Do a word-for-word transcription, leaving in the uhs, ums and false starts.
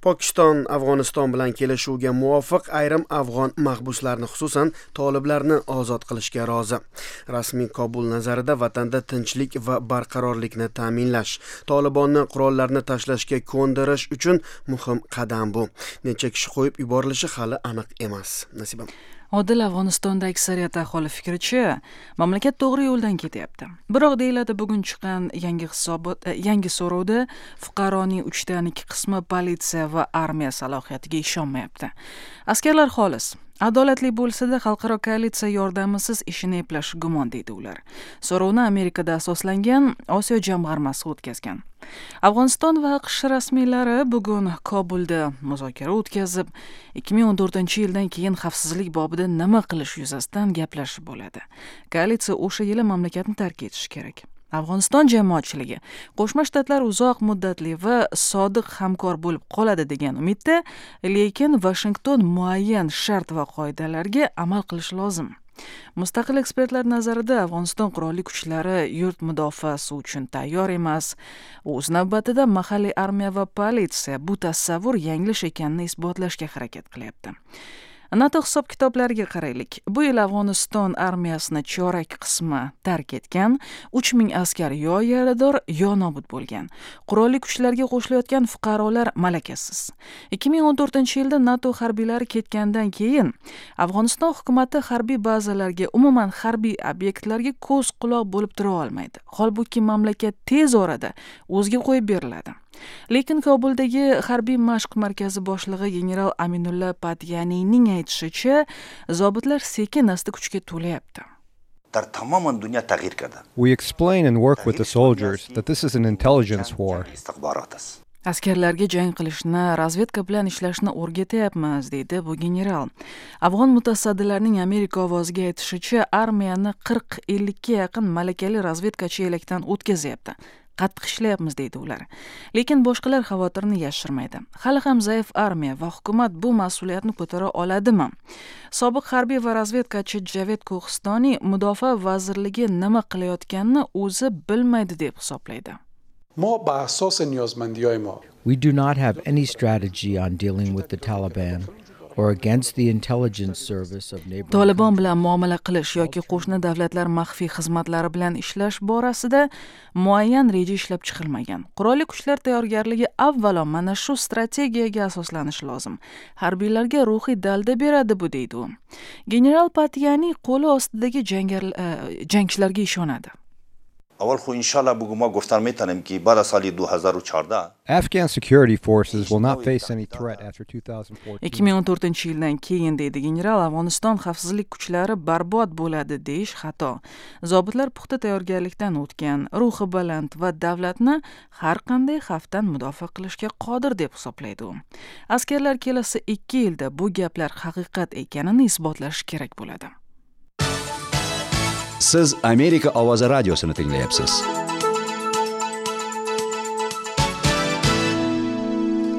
Pokiston Afg'oniston bilan kelishuvga muvofiq ayrim afg'on mahbuslarni, xususan toliblarni ozod qilishga rozi. Rasmiy Kobul nazarida vatanda tinchlik va barqarorlikni ta'minlash, Tolibonni qurollarni tashlashga ko'ndirish uchun muhim qadam bu. Necha kishi qo'yib yuborilishi hali aniq emas. Nasiba. Odil, Afg'onistonda aksariyat aholi fikricha, mamlakat to'g'ri yo'ldan ketyapti. Biroq deyiladi bugun chiqqan yangi hisobot, e, yangi so'rovda fuqaroning uchdan ikki qismi politsiya va armiya salohiyatiga ishonmayapti. Askarlar xolis, adolatli bo'lsa-da, xalqaro koalitsiya yordamisiz ishini eplashi gumon, deydi ular. So'rovni Amerikada asoslangan Osiyo jamg'armasi o'tkazgan. Afg'oniston va A Q Sh rasmiylari bugun Kobulda muzokara o'tkazib, ikki ming o'n to'rtinchi yildan keyin xavfsizlik bobida nima qilish yuzasidan gaplashib bo'ladi. Koalitsiya o'sha yili mamlakatni tark etishi kerak. Afg'oniston jamoatchiligi Qo'shma Shtatlar uzoq muddatli va sodiq hamkor bo'lib qoladi degan umidda, lekin Vashington muayyan shart va qoidalarga amal qilishi lozim. Mustaqil ekspertlar nazarida, Afg'oniston qurolli kuchlari yurt mudofaasi uchun tayyor emas. O'z navbatida mahalliy armiya va politsiya bu tasavvur yanglish ekanini isbotlashga harakat qilyapti. NATO hisob kitoblariga qaraylik. Bu yil Afg'oniston armiyasini chorak qismi tark etgan, uch ming askar yo yarador, yo nobud bo'lgan. Qurolli kuchlarga qo'shilayotgan fuqarolar malakasiz. ikki ming o'n to'rtinchi yilda NATO harbiylari ketgandan keyin Afg'oniston hukumati harbiy bazalarga, umuman harbiy obyektlarga ko'z quloq bo'lib tura olmaydi. Holbuki mamlakat tez orada o'ziga qo'yib beriladi. Lekin Kobuldagi harbiy mashq markazi boshlig'i general Aminulla Patyaniyning aytishicha, zobitlar sekin asta kuchga to'layapti. در تمام دنیا تغییر کرده. We explain and work with the soldiers that this is an intelligence war. استخبارات است. Askarlarga jang qilishni, razvedka bilan ishlashni o'rgatyapmiz, deydi bu general. Afg'on mutasaddilarining Amerika ovoziga aytishicha, armiyani qirq ellikka yaqin malakali razvedkachi elakdan o'tkazyapti. Qattiq ishlayapmiz, deydi ular. Lekin boshqalar xavotirini yashirmaydi. Hali ham zaif armiya va hukumat bu mas'uliyatni ko'tara oladimi? Sobiq harbiy va razvedkachi Javed Ko'histoniy mudofaa vazirligi nima qilayotganini o'zi bilmaydi deb hisoblaydi. ما به اساس نیازمندی ما We do not have any strategy on dealing with the Taliban or against the intelligence service of neighboring Tolibon bilan muomala qilish yoki qo'shni davlatlar maxfiy xizmatlari bilan ishlash borasida muayyan reja ishlab chiqilmagan. Qurolli kuchlar tayyorgarligi avvalo mana shu strategiyaga asoslanishi lozim. Harbiylarga ruhiy dalda beradi bu, deydi u. General Patyani qo'li ostidagi jangar e, jangchilarga ishonadi. اول خو انشالله بگو ما گفتن میتونیم که بعد از سال دو هزار و چهارده Afghan security forces will not face any threat after twenty fourteen. ikki ming o'n to'rtinchi yildan keyin, deydi general, Afg'oniston xavfsizlik kuchlari barbod bo'ladi deyish xato. Zobitlar puxta tayyorgarlikdan o'tgan, ruhi baland va davlatni har qanday xavfdan mudofaa qilishga qodir deb hisoblaydi u. Askarlar kelasi ikki yilda bu gaplar haqiqat ekanini isbotlashi kerak bo'ladi. Siz Amerika ovozi radiosini tinglayapsiz.